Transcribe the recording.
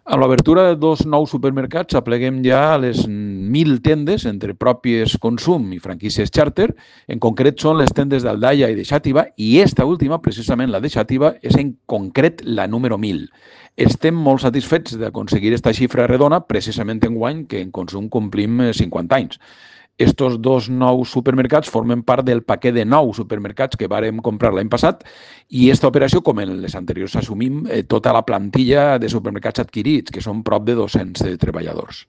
Amb l'obertura de dos nous supermercats apleguem ja les 1.000 tendes entre pròpies consum i franquícies xàrter. En concret són les tendes d'Aldaia i de Xàtiva i esta última, precisament la de Xàtiva, és en concret la número 1.000. Estem molt satisfets d'aconseguir esta xifra redona precisament enguany que en consum complim 50 anys. Estos dos nous supermercats formen part del paquet de 9 supermercats que vàrem comprar l'any passat i aquesta operació, com en les anteriors, assumim tota la plantilla de supermercats adquirits, que són prop de 200 treballadors.